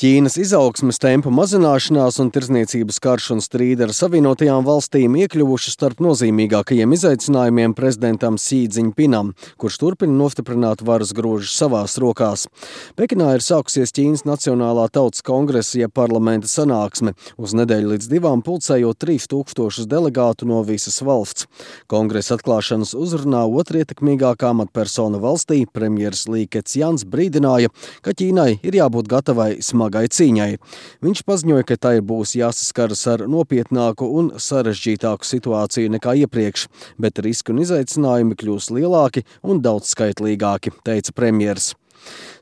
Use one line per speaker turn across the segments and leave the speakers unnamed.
Ķīnas izaugsmes tempa mazināšanās un tirdzniecības karš un strīdi ar Savienotajām valstīm iekļuvuši starp nozīmīgākajiem izaicinājumiem prezidentam Xi Jinpingam, kurš turpina nostiprināt varas grožus savās rokās. Pekinā ir sākusies Ķīnas Nacionālā tautas kongresa, jeb parlamenta sanāksme, uz nedēļu līdz 2 pulcējot 3000 delegātu no visas valsts. Kongresa atklāšanas uzrunā otrietekmīgākā amatpersona valstī, premjeras Li Keqians, brīdināja, ka Ķīnai ir jābūt gatavai smagai cīņai. Viņš paziņoja, ka tai būs jāsaskaras ar nopietnāku un sarežģītāku situāciju nekā iepriekš, bet riski un izaicinājumi kļūs lielāki un daudzskaitlīgāki, teica premjers.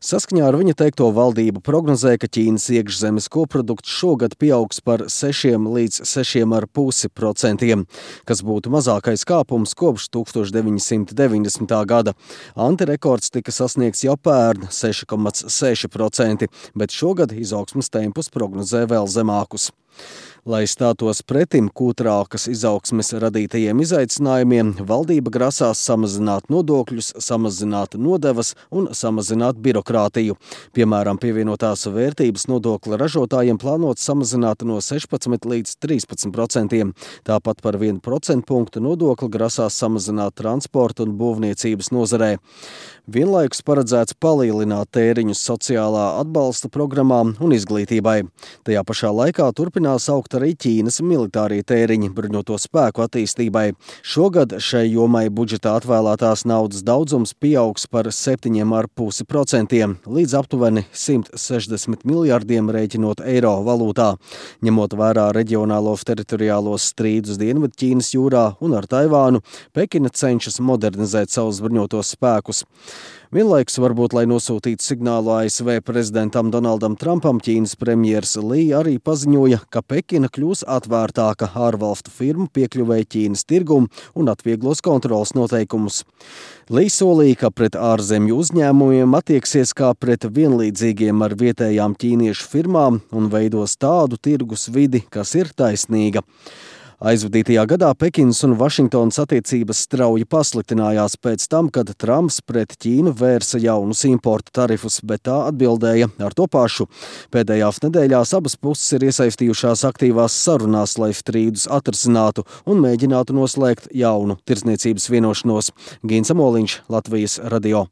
Saskaņā ar viņa teikto valdība prognozē, ka Ķīnas iekšzemes koprodukts šogad pieaugs par 6 līdz 6,5%, kas būtu mazākais kāpums kopš 1990. gada. Antirekords tika sasniegts jau pērn 6,6%, bet šogad izaugsmes tempus prognozē vēl zemākus. Lai stātos pretim kūtrākas izaugsmes radītajiem izaicinājumiem, valdība grasās samazināt nodokļus, samazināt nodevas un samazināt birokrātiju. Piemēram, pievienotās vērtības nodokli ražotājiem plānots samazināt no 16 līdz 13%. Tāpat par 1% punktu nodokli grasās samazināt transporta un būvniecības nozarē. Vienlaikus paredzēts palielināt tēriņus sociālā atbalsta programmām un izglītībai. Tajā pašā laikā turpinās augt arī Ķīnas militārie tēriņi bruņoto spēku attīstībai. Šogad šai jomai budžetā atvēlētās naudas daudzums pieaugs par 7,5% līdz aptuveni 160 miljardiem rēķinot eiro valūtā. Ņemot vērā reģionālos teritoriālos strīdus Dienvidķīnas jūrā un ar Taivānu, Pekina cenšas modernizēt savus bruņotos spēkus. Vienlaikus varbūt, lai nosūtītu signālu ASV prezidentam Donaldam Trumpam, Ķīnas premjers Li arī paziņoja, ka Pekina kļūs atvērtāka ārvalstu firmu piekļuvēja Ķīnas tirgumu un atvieglos kontrolas noteikumus. Li solīja, ka pret ārzemju uzņēmumiem attieksies kā pret vienlīdzīgiem ar vietējām ķīniešu firmām un veidos tādu tirgus vidi, kas ir taisnīga. Aizvadītajā gadā Pekinas un Vašingtonas attiecības strauji pasliktinājās pēc tam, kad Trumps pret Ķīnu vērsa jaunus importa tarifus, bet tā atbildēja ar to pašu. Pēdējās nedēļās abas puses ir iesaistījušās aktīvās sarunās, lai strīdus atrisinātu un mēģinātu noslēgt jaunu tirdzniecības vienošanos. Gins Amoliņš, Latvijas radio.